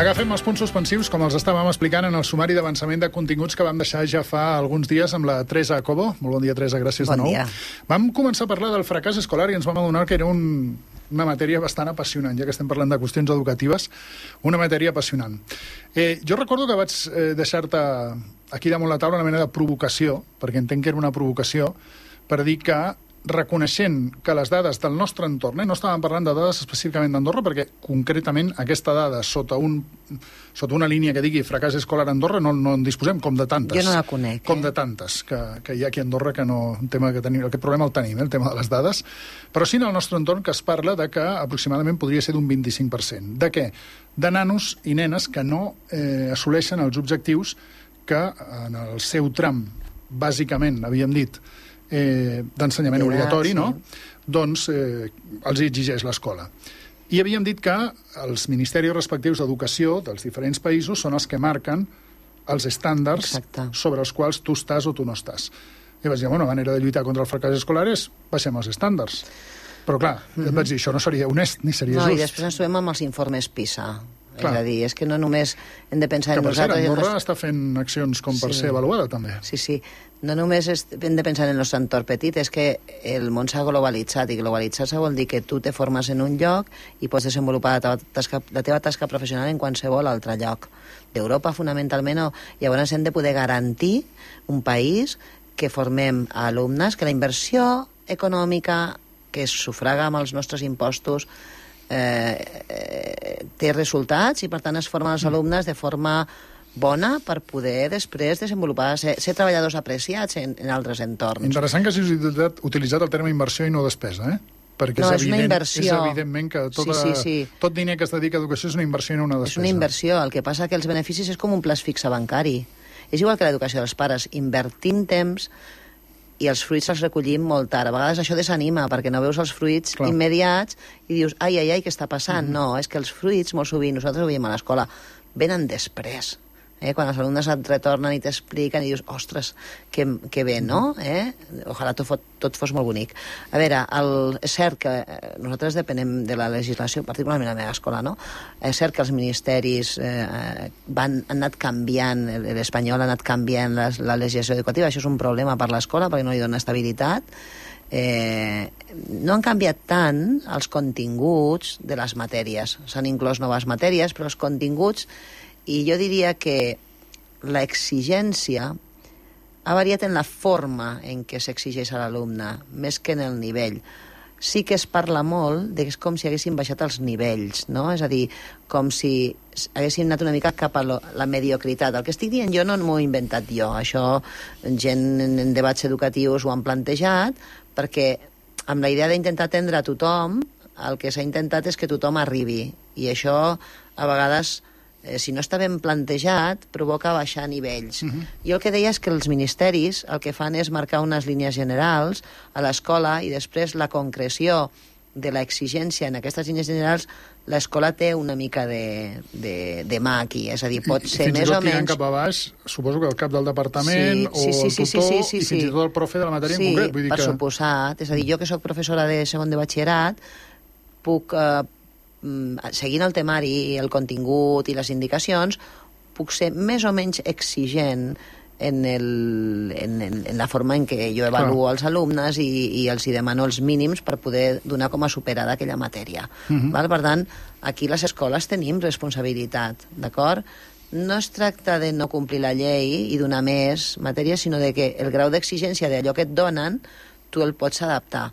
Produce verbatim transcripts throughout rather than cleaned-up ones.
Agafem els punts suspensius, com els estàvem explicant en el sumari d'avançament de continguts que vam deixar ja fa alguns dies amb la Teresa Cobo. Molt bon dia, Teresa, gràcies bon de nou. Dia. Vam començar a parlar del fracàs escolar i ens vam adonar que era un, una matèria bastant apassionant, ja que estem parlant de qüestions educatives, una matèria apassionant. Eh, jo recordo que vaig eh, deixar-te aquí damunt la taula una mena de provocació, perquè entenc que era una provocació, per dir que reconeixent que les dades del nostre entorn, eh, no estàvem parlant de dades específicament d'Andorra, perquè concretament aquesta dada sota, un, sota una línia que digui fracàs escolar a Andorra no, no en disposem, com de tantes. Jo no la conec. Com eh? de tantes que, que hi ha aquí a Andorra, que no, un tema que tenim, aquest problema el tenim, eh, el tema de les dades, però sí en el nostre entorn que es parla de que aproximadament podria ser d'un vint-i-cinc per cent. De què? De nanos i nenes que no eh, assoleixen els objectius que en el seu tram, bàsicament, havíem dit, Eh, d'ensenyament obligatori, sí. no? Doncs eh, els exigeix l'escola. I havíem dit que els ministeris respectius d'educació dels diferents països són els que marquen els estàndards Exacte. Sobre els quals tu estàs o tu no estàs. I vaig dir, bueno, una manera de lluitar contra el fracàs escolar és baixem els estàndards. Però clar, mm-hmm. et vaig dir, això no seria honest ni seria no, just. I després ens trobem amb els informes PISA. Clar. És a dir, és que no només hem de pensar que en nosaltres... Que per cert, Andorra està fent accions com per sí. ser avaluada, també. Sí, sí. No només hem de pensar en el nostre entorn petit, és que el món s'ha globalitzat, i globalitzar-se vol dir que tu te formes en un lloc i pots desenvolupar la teva tasca, la teva tasca professional en qualsevol altre lloc. D'Europa, fonamentalment, o... llavors hem de poder garantir un país que formem alumnes, que la inversió econòmica que es sufraga amb els nostres impostos Eh, eh, té resultats i per tant es formen els alumnes de forma bona per poder després desenvolupar, ser, ser treballadors apreciats en, en altres entorns. Interessant que hagis utilitzat, utilitzat el terme inversió i no despesa, eh? Perquè no, és, és evident, una inversió. És evidentment que tota, sí, sí, sí. tot diner que es dedica a educació és una inversió i no una despesa. És una inversió, el que passa que els beneficis és com un plaç fixe bancari. És igual que l'educació dels pares, invertim temps i els fruits els recollim molt tard. A vegades això desanima, perquè no veus els fruits Clar. Immediats i dius, ai, ai, ai, què està passant? Mm-hmm. No, és que els fruits, molt sovint, nosaltres ho veiem a l'escola, venen després. Eh? Quan els alumnes et retornen i t'expliquen i dius, ostres, que, que bé, no? Eh? Ojalà tot, fos, tot fos molt bonic. A veure, el, és cert que nosaltres depenem de la legislació, particularment a la meva escola, no? És cert que els ministeris eh, van, han anat canviant, l'espanyol ha anat canviant la, la legislació educativa, això és un problema per l'escola perquè no li dona estabilitat. Eh, no han canviat tant els continguts de les matèries. S'han inclòs noves matèries, però els continguts... I jo diria que l'exigència ha variat en la forma en què s'exigeix a l'alumne, més que en el nivell. Sí que es parla molt de que és com si haguessin baixat els nivells, no? És a dir, com si haguessin anat una mica cap a lo, la mediocritat. El que estic dient jo no m'ho he inventat jo. Això gent en debats educatius ho han plantejat, perquè amb la idea d'intentar atendre a tothom, el que s'ha intentat és que tothom arribi. I això, a vegades... Eh, si no està ben plantejat, provoca baixar nivells. Uh-huh. Jo el que deia és que els ministeris el que fan és marcar unes línies generals a l'escola i després la concreció de l'exigència en aquestes línies generals l'escola té una mica de, de, de mà aquí, és a dir, pot ser més o menys... Fins i tot tirant cap a baix, suposo que el cap del departament sí, sí, sí, o el sí, tutor sí, sí, sí, i fins i tot el profe de la matèria sí, en concret. Vull dir per que... suposat. És a dir, jo que sóc professora de segon de batxillerat puc... Eh, seguint el temari i el contingut i les indicacions, puc ser més o menys exigent en, el, en, en, en la forma en què jo avaluo Clar. Els alumnes i, i els hi demano els mínims per poder donar com a superada aquella matèria. Uh-huh. Val? Per tant, aquí les escoles tenim responsabilitat, d'acord? No es tracta de no complir la llei i donar més matèries, sinó de que el grau d'exigència d'allò que et donen tu el pots adaptar.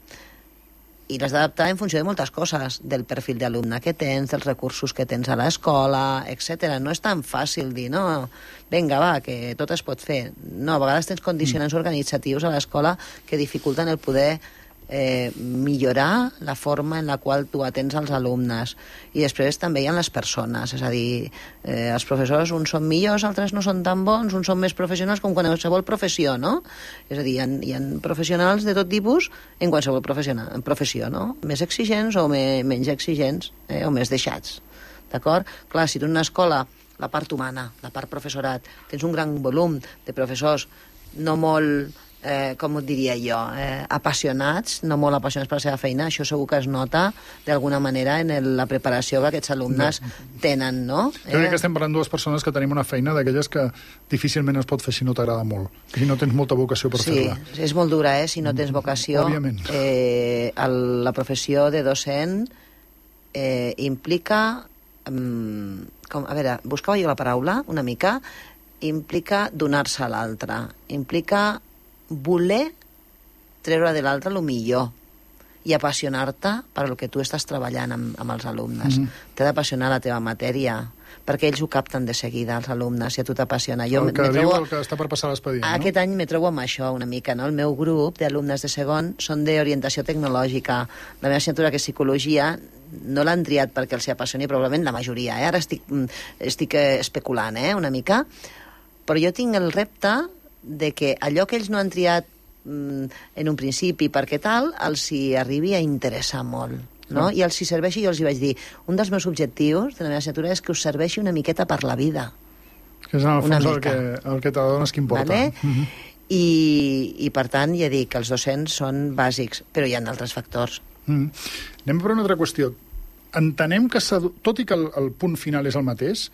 I l'has d'adaptar en funció de moltes coses, del perfil d'alumne que tens, dels recursos que tens a l'escola, etcètera. No és tan fàcil dir, no, vinga, va, que tot es pot fer. No, a vegades tens condicionants organitzatius a l'escola que dificulten el poder eh, millorar la forma en la qual tu atens als alumnes. I després també hi ha les persones, és a dir, eh, els professors, uns són millors, altres no són tan bons, uns són més professionals com qualsevol professió, no? És a dir, hi ha, hi ha professionals de tot tipus en qualsevol professió, no? Més exigents o me, menys exigents, eh, o més deixats, d'acord? Clar, si tu en una escola, la part humana, la part professorat, tens un gran volum de professors no molt eh, com ho diria jo, eh, apassionats, no molt apassionats per la seva feina, això segur que es nota d'alguna manera en el, la preparació que aquests alumnes no. tenen, no? Jo crec eh? que estem parlant dues persones que tenim una feina d'aquelles que difícilment es pot fer si no t'agrada molt, si no tens molta vocació per sí, fer-la. Sí, és molt dura, eh? Si no tens vocació. Òbviament. Eh, el, la professió de docent eh, implica... Um, com, a veure, buscava jo la paraula una mica, implica donar-se a l'altre, implica voler treure de l'altre el millor i apassionar-te per el que tu estàs treballant amb, amb els alumnes. Mm -hmm. T'ha d'apassionar la teva matèria, perquè ells ho capten de seguida, els alumnes, si a tu t'apassiona. El que diu el que està per passar l'expedient, no? Aquest any me trobo amb això una mica, no? El meu grup d'alumnes de segon són d'orientació tecnològica. La meva assignatura, que és psicologia, no l'han triat perquè els apassioni, probablement la majoria, eh? Ara estic, estic especulant, eh? Una mica. Però jo tinc el repte de que allò que ells no han triat en un principi perquè tal, els hi arribi a interessar molt, no? I els hi serveixi, jo els hi vaig dir, un dels meus objectius de la meva assignatura és que us serveixi una miqueta per la vida. Que és en el fons el que, el que t'adones que importa. Vale? Uh-huh. I, I per tant, ja dic que els docents són bàsics, però hi ha altres factors. Uh-huh. Anem per una altra qüestió. Entenem que, tot i que el, el punt final és el mateix,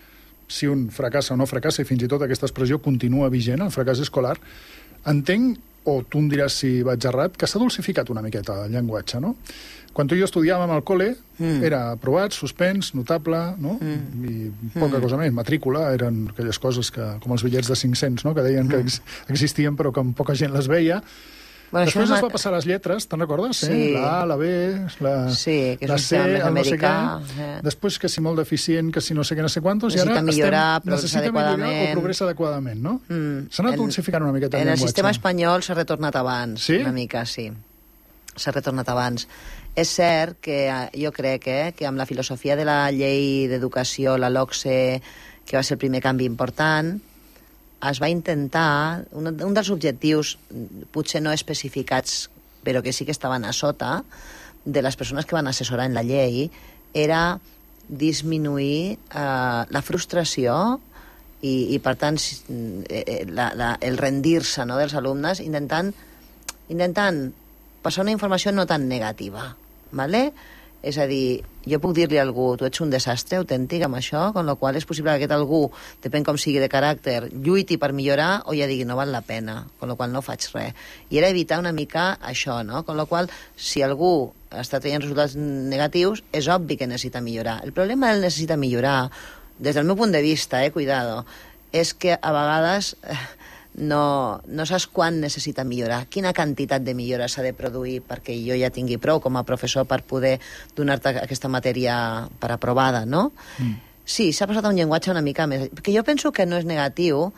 si un fracassa o no fracassa, i fins i tot aquesta expressió continua vigent, el fracàs escolar, entenc, o tu em diràs si vaig errat, que s'ha dulcificat una miqueta el llenguatge, no? Quan tu i jo estudiàvem al col·le, mm. era aprovat, suspens, notable, no? Mm. I poca mm. cosa més. Matrícula eren aquelles coses que, com els bitllets de cinc-cents, no? Que deien mm. que ex existien però que poca gent les veia. Bueno, Després es va passar les lletres, te'n recordes? Sí. Eh? La A, la B, la, sí, que és la C, el no sé què. Eh. Després que si molt deficient, que si no sé què, no sé quantos, necessita i ara millorar, estem, necessita millorar o progressa adequadament, no? Mm. S'ha anat dulcificant una miqueta el En el llenguatge. sistema espanyol s'ha retornat abans, sí? una mica, sí. S'ha retornat abans. És cert que jo crec eh, que amb la filosofia de la llei d'educació, la LOCSE, que va ser el primer canvi important, es va intentar, un, un dels objectius, potser no especificats, però que sí que estaven a sota, de les persones que van assessorar en la llei, era disminuir eh, la frustració i, i per tant, eh, la, la, el rendir-se, no?, dels alumnes, intentant, intentant passar una informació no tan negativa, ¿vale? És a dir, jo puc dir-li a algú, tu ets un desastre autèntic amb això, con la qual és possible que aquest algú, depèn com sigui de caràcter, lluiti per millorar o ja digui no val la pena, con la qual no faig res. I era evitar una mica això, no? Con la qual, si algú està traient resultats negatius, és obvi que necessita millorar. El problema del necessita millorar, des del meu punt de vista, eh, cuidado, és que a vegades eh, no, no saps quan necessita millorar, quina quantitat de millora s'ha de produir perquè jo ja tingui prou com a professor per poder donar-te aquesta matèria per aprovada, no? Mm. Sí, s'ha passat a un llenguatge una mica més... Perquè jo penso que no és negatiu,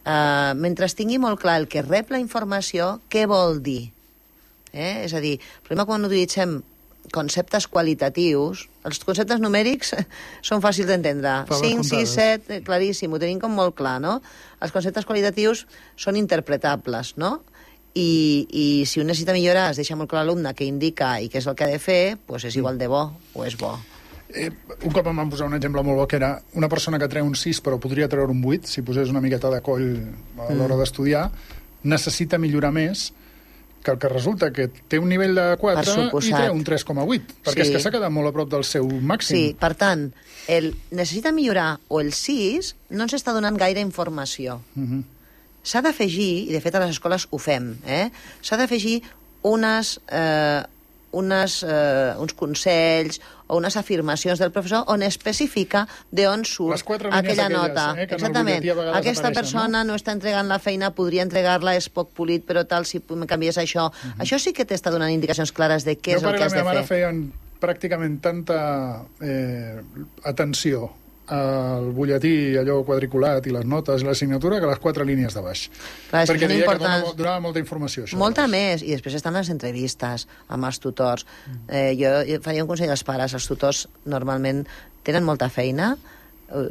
eh, mentre tingui molt clar el que rep la informació, què vol dir? Eh? És a dir, el problema quan utilitzem conceptes qualitatius, els conceptes numèrics són fàcils d'entendre. cinc, sis, set, claríssim, ho tenim com molt clar, no? Els conceptes qualitatius són interpretables, no? I, i si un necessita millorar, es deixa molt clar l'alumne què indica i què és el que ha de fer, doncs és igual de bo o és bo. Eh, un cop em van posar un exemple molt bo, que era una persona que treu un sis però podria treure un vuit, si posés una miqueta de coll a l'hora mm. d'estudiar, necessita millorar més que el que resulta que té un nivell de quatre i treu un tres coma vuit, perquè sí. és que s'ha quedat molt a prop del seu màxim. Sí, per tant, el necessita millorar o el sis no ens està donant gaire informació. Uh-huh. S'ha d'afegir, i de fet a les escoles ho fem, eh? s'ha d'afegir unes... Eh, unes, eh, uns consells o unes afirmacions del professor on especifica d'on surt aquella aquelles, nota. Eh, Exactament. Aquesta persona no? no està entregant la feina, podria entregar-la, és poc polit, però tal, si me canvies això. Uh -huh. Això sí que t'està donant indicacions clares de què jo és el que has de fer. Jo pare i la meva mare feien pràcticament tanta eh, atenció el butlletí, allò quadriculat i les notes i l'assignatura que les quatre línies de baix. Clar, perquè deia importants... que donava, donava molta informació. Això, molta doncs. més, i després estan les entrevistes amb els tutors. Mm. Eh, jo, jo faria un consell als pares. Els tutors normalment tenen molta feina,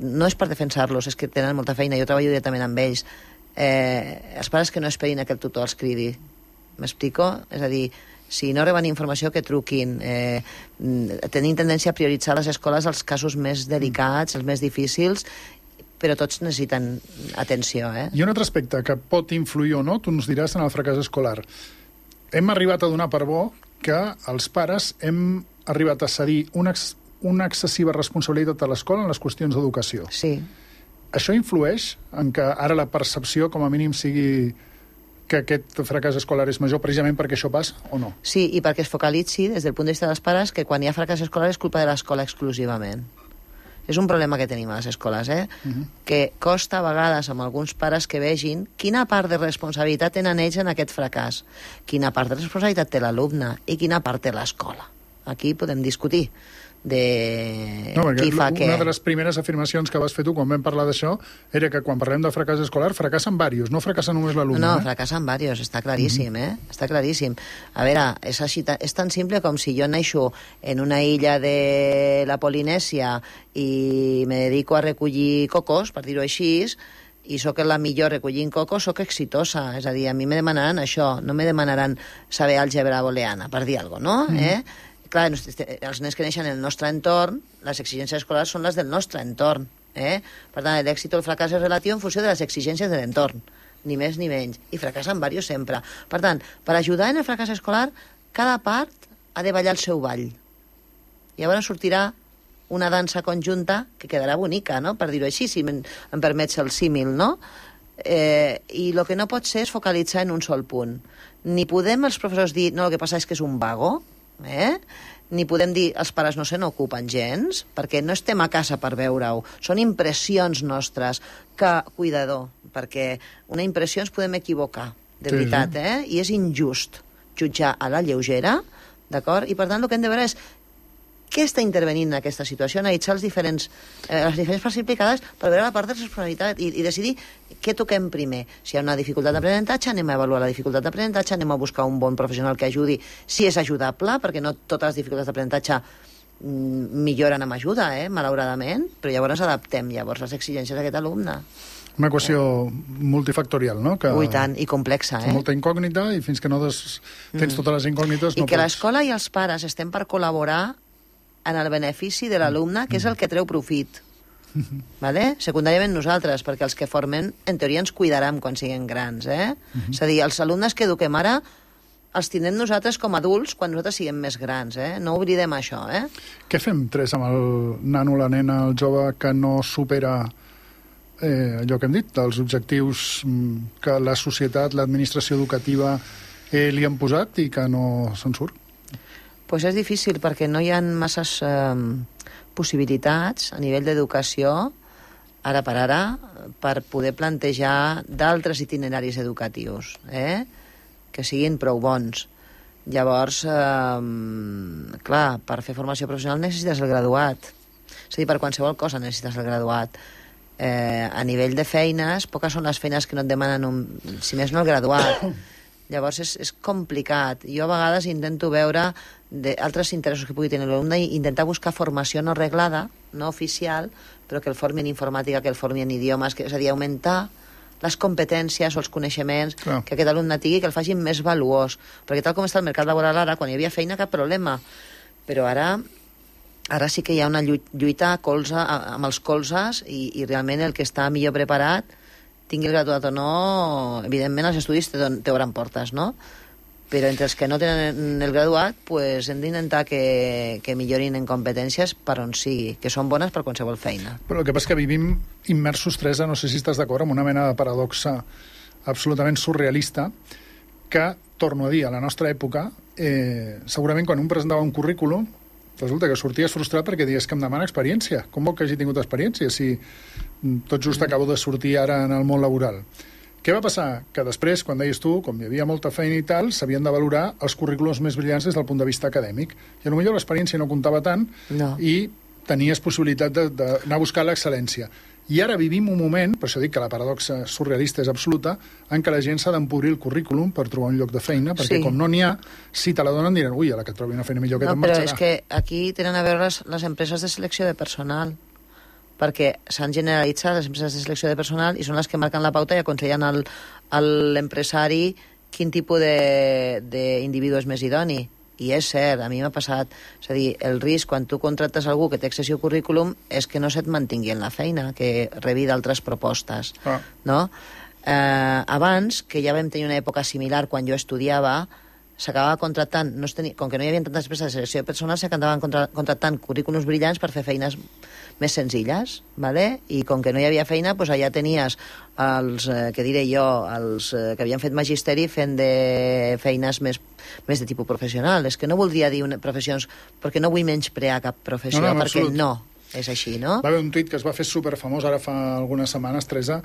no és per defensar-los, és que tenen molta feina. Jo treballo directament amb ells. Eh, els pares que no esperin a que el tutor els cridi. M'explico? És a dir, si no reben informació, que truquin. Eh, tenim tendència a prioritzar les escoles als casos més delicats, els més difícils, però tots necessiten atenció. Eh? I un altre aspecte que pot influir o no, tu ens diràs, en el fracàs escolar. Hem arribat a donar per bo que els pares hem arribat a cedir una, ex, una excessiva responsabilitat a l'escola en les qüestions d'educació. Sí. Això influeix en que ara la percepció, com a mínim, sigui que aquest fracàs escolar és major precisament perquè això passa o no? Sí, i perquè es focalitzi des del punt de vista dels pares que quan hi ha fracàs escolar és culpa de l'escola exclusivament. És un problema que tenim a les escoles, eh? Uh-huh. Que costa a vegades amb alguns pares que vegin quina part de responsabilitat tenen ells en aquest fracàs, quina part de responsabilitat té l'alumne i quina part té l'escola. Aquí podem discutir de no, qui fa què. Una de les primeres afirmacions que vas fer tu quan vam parlar d'això era que quan parlem de fracàs escolar fracassen diversos, no fracassa només l'alumne. No, eh? fracassen diversos, està claríssim, eh? Està claríssim. A veure, és, així, és tan simple com si jo neixo en una illa de la Polinèsia i me dedico a recollir cocos, per dir-ho així, i sóc la millor recollint cocos, sóc exitosa. És a dir, a mi me demanaran això, no me demanaran saber àlgebra booleana, per dir alguna cosa, no? Mm. Eh? Clar, els nens que neixen en el nostre entorn, les exigències escolars són les del nostre entorn. Eh? Per tant, l'èxit o el fracàs és relatiu en funció de les exigències de l'entorn, ni més ni menys. I fracassen diversos sempre. Per tant, per ajudar en el fracàs escolar, cada part ha de ballar el seu ball. Llavors sortirà una dansa conjunta que quedarà bonica, no? Per dir-ho així, si em, em permets el símil, no? Eh, I el que no pot ser és focalitzar en un sol punt. Ni podem els professors dir, no, el que passa és que és un vago, eh? Ni podem dir els pares no se n'ocupen gens, perquè no estem a casa per veure-ho, són impressions nostres, que, cuidador, perquè una impressió ens podem equivocar, de sí, veritat, eh? I és injust jutjar a la lleugera, d'acord? I per tant el que hem de veure és què està intervenint en aquesta situació, analitzar els diferents, eh, les diferents parts implicades per veure la part de responsabilitat i, i decidir què toquem primer. Si hi ha una dificultat d'aprenentatge, anem a avaluar la dificultat d'aprenentatge, anem a buscar un bon professional que ajudi, si és ajudable, perquè no totes les dificultats d'aprenentatge mm, milloren amb ajuda, eh, malauradament, però llavors adaptem llavors les exigències d'aquest alumne. Una equació eh. multifactorial, no? Que Ui, tant, i complexa, eh? Molta incògnita, i fins que no des... tens mm. totes les incògnites... I no que pots... l'escola i els pares estem per col·laborar en el benefici de l'alumne, que és el que treu profit. Vale? Secundàriament nosaltres, perquè els que formen, en teoria, ens cuidaran quan siguem grans. Eh? Uh-huh. És a dir, els alumnes que eduquem ara els tindrem nosaltres com a adults quan nosaltres siguem més grans. Eh? No oblidem això. Eh? Què fem, Tres, amb el nano, la nena, el jove que no supera eh, allò que hem dit, els objectius que la societat, l'administració educativa eh, li han posat i que no se'n surt? Pues és difícil perquè no hi ha masses eh, possibilitats a nivell d'educació, ara per ara, per poder plantejar d'altres itineraris educatius, eh? Que siguin prou bons. Llavors, eh, clar, per fer formació professional necessites el graduat. És a dir, per qualsevol cosa necessites el graduat. Eh, a nivell de feines, poques són les feines que no et demanen, un, si més no, el graduat. Llavors és, és complicat. Jo a vegades intento veure altres interessos que pugui tenir l'alumne i intentar buscar formació no reglada, no oficial, però que el formi en informàtica, que el formi en idiomes, que, és a dir, augmentar les competències o els coneixements Clar. Que aquest alumne tingui, que el facin més valuós. Perquè tal com està el mercat laboral ara, quan hi havia feina, cap problema. Però ara, ara sí que hi ha una lluita a colze, amb els colzes i, i realment el que està millor preparat, tingui el graduat o no, evidentment els estudis t'obren portes, no? Però entre els que no tenen el graduat, pues, hem d'intentar que, que millorin en competències per on sigui, que són bones per qualsevol feina. Però el que passa és que vivim immersos, Teresa, no sé si estàs d'acord, amb una mena de paradoxa absolutament surrealista, que, torno a dir, a la nostra època, eh, segurament quan un presentava un currículum, resulta que sorties frustrat perquè dius que em demana experiència. Com vol que hagi tingut experiència si tot just acabo de sortir ara en el món laboral? Què va passar? Que després, quan deies tu, com hi havia molta feina i tal, s'havien de valorar els currículums més brillants des del punt de vista acadèmic. I potser l'experiència no comptava tant no. i tenies possibilitat d'anar a buscar l'excel·lència. I ara vivim un moment, per això dic que la paradoxa surrealista és absoluta, en què la gent s'ha d'empobrir el currículum per trobar un lloc de feina, perquè sí. com no n'hi ha, si te la donen diran, ui, a la que trobi una feina millor que no, te'n marxarà. Però és que aquí tenen a veure les, les empreses de selecció de personal, perquè s'han generalitzat les empreses de selecció de personal i són les que marquen la pauta i aconsellen al, a l'empresari quin tipus d'individu és més idoni. I és cert, a mi m'ha passat. És a dir, el risc quan tu contractes algú que té excessiu currículum és que no se't mantingui en la feina, que rebi d'altres propostes. Ah. No? Eh, abans, que ja vam tenir una època similar quan jo estudiava, s'acabava contractant, no es tenia, com que no hi havia tantes empreses de selecció de personal, s'acabaven contra, contractant currículums brillants per fer feines més senzilles, ¿vale? I com que no hi havia feina, doncs allà tenies els, eh, que diré jo, els eh, que havien fet magisteri fent de feines més, més de tipus professional. És que no voldria dir una, professions, perquè no vull menysprear cap professió, no, no, perquè absolut. No, és així, no? Va haver un tuit que es va fer superfamós ara fa algunes setmanes, Teresa,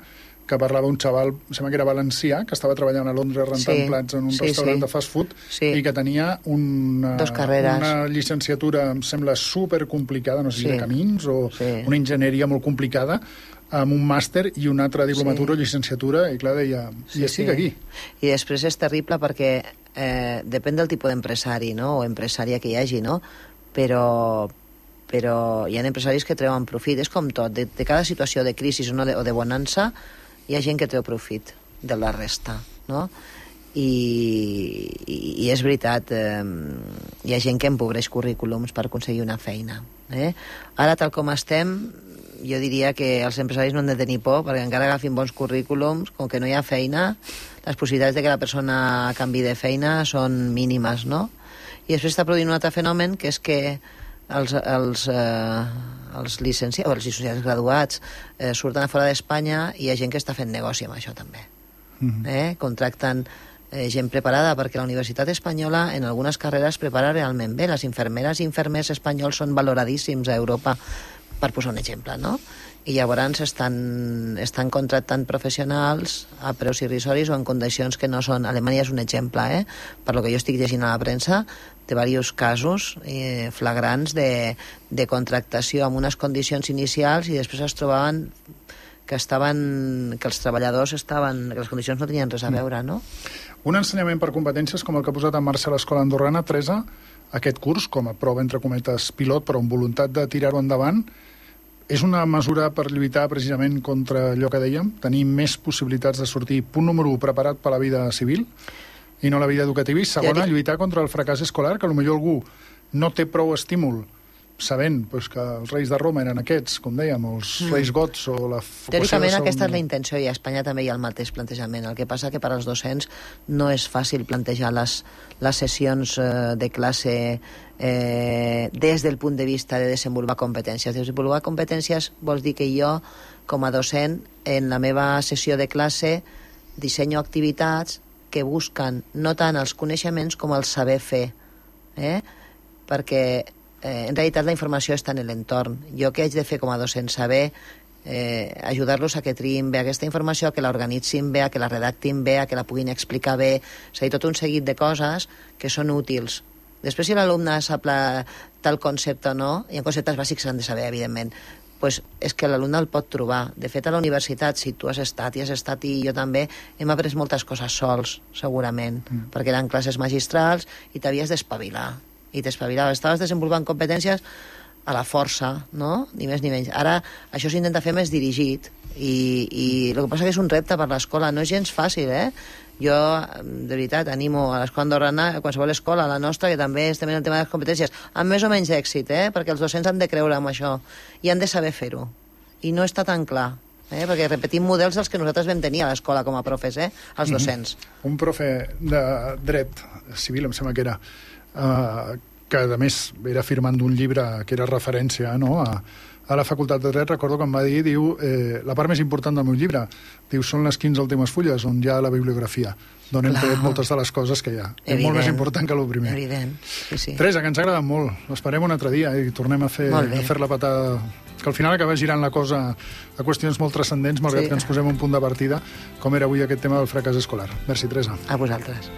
que parlava un xaval, em sembla que era valencià, que estava treballant a Londres rentant sí, plats en un sí, restaurant sí. de fast food sí. i que tenia una, una llicenciatura, em sembla, supercomplicada, no sé sí. si de camins o sí. una enginyeria molt complicada, amb un màster i una altra diplomatura sí. o llicenciatura, i clar, deia, sí, i estic sí. aquí. I després és terrible perquè eh, depèn del tipus d'empresari, no?, o empresària que hi hagi, no?, però... però hi ha empresaris que treuen profit. És com tot, de, de cada situació de crisi o, no de, o de bonança, hi ha gent que treu profit de la resta, no? I, i, i és veritat, eh, hi ha gent que empobreix currículums per aconseguir una feina. Eh? Ara, tal com estem, jo diria que els empresaris no han de tenir por, perquè encara agafin bons currículums, com que no hi ha feina, les possibilitats de que la persona canvi de feina són mínimes, no? I després està produint un altre fenomen, que és que els, els, eh, els llicenciats o els llicenciats graduats eh, surten a fora d'Espanya i hi ha gent que està fent negoci amb això també. Mm-hmm. eh? Contracten eh, gent preparada, perquè la Universitat Espanyola en algunes carreres prepara realment bé. Les infermeres i infermers espanyols són valoradíssims a Europa, per posar un exemple, no? I llavors estan, estan contractant professionals a preus irrisoris o en condicions que no són... Alemanya és un exemple, eh? Per lo que jo estic llegint a la premsa, de diversos casos eh, flagrants de, de contractació amb unes condicions inicials i després es trobaven que estaven que els treballadors estaven... que les condicions no tenien res a veure, no? Un ensenyament per competències com el que ha posat en marxa l'Escola Andorrana, Teresa, aquest curs, com a prova entre cometes pilot, però amb voluntat de tirar-ho endavant, és una mesura per lluitar precisament contra allò que dèiem, tenir més possibilitats de sortir, punt número u, preparat per a la vida civil i no la vida educativa, i segona, lluitar contra el fracàs escolar, que potser algú no té prou estímul sabent pues, que els reis de Roma eren aquests, com dèiem, els mm. reis gots o la... Teòricament aquesta és la intenció, i a Espanya també hi ha el mateix plantejament. El que passa que per als docents no és fàcil plantejar les, les sessions eh, de classe eh, des del punt de vista de desenvolupar competències. Desenvolupar competències vol dir que jo, com a docent, en la meva sessió de classe dissenyo activitats que busquen no tant els coneixements com el saber fer, eh? perquè Eh, en realitat la informació està en l'entorn. Jo què haig de fer com a docent? Saber eh, ajudar-los a que triïn bé aquesta informació, a que l'organitzin bé, a que la redactin bé, a que la puguin explicar bé. És a dir, tot un seguit de coses que són útils. Després, si l'alumne sap la, tal concepte o no, i en conceptes bàsics s'han de saber, evidentment, pues és que l'alumne el pot trobar. De fet, a la universitat, si tu has estat i has estat i jo també, hem après moltes coses sols, segurament, mm. perquè eren classes magistrals i t'havies d'espavilar. I t'espavilaves, estaves desenvolupant competències a la força, no? Ni més ni menys. Ara això s'intenta fer més dirigit i, i el que passa que és un repte per l'escola, no és gens fàcil, eh? Jo, de veritat, animo a l'escola andorrana, a qualsevol escola, a la nostra, que també estem en el tema de les competències, amb més o menys èxit, eh? Perquè els docents han de creure en això i han de saber fer-ho. I no està tan clar. Eh? Perquè repetim models dels que nosaltres vam tenir a l'escola com a profes, eh? Els docents. Mm-hmm. Un profe de dret civil, em sembla que era, Uh, que a més era firmant d'un llibre que era referència, no?, a, a la facultat de dret. Recordo que em va dir, diu, eh, la part més important del meu llibre, diu, són les quinze últimes fulles on hi ha la bibliografia, d'on hem tret moltes de les coses que hi ha. Evident. És molt més important que el primer. Evident, sí, sí. Teresa, que ens ha agradat molt. L'esperem un altre dia i tornem a fer, a fer la patada, que al final acaba girant la cosa a qüestions molt transcendents, malgrat sí. que ens posem un punt de partida, com era avui aquest tema del fracàs escolar. Merci, Teresa. A vosaltres.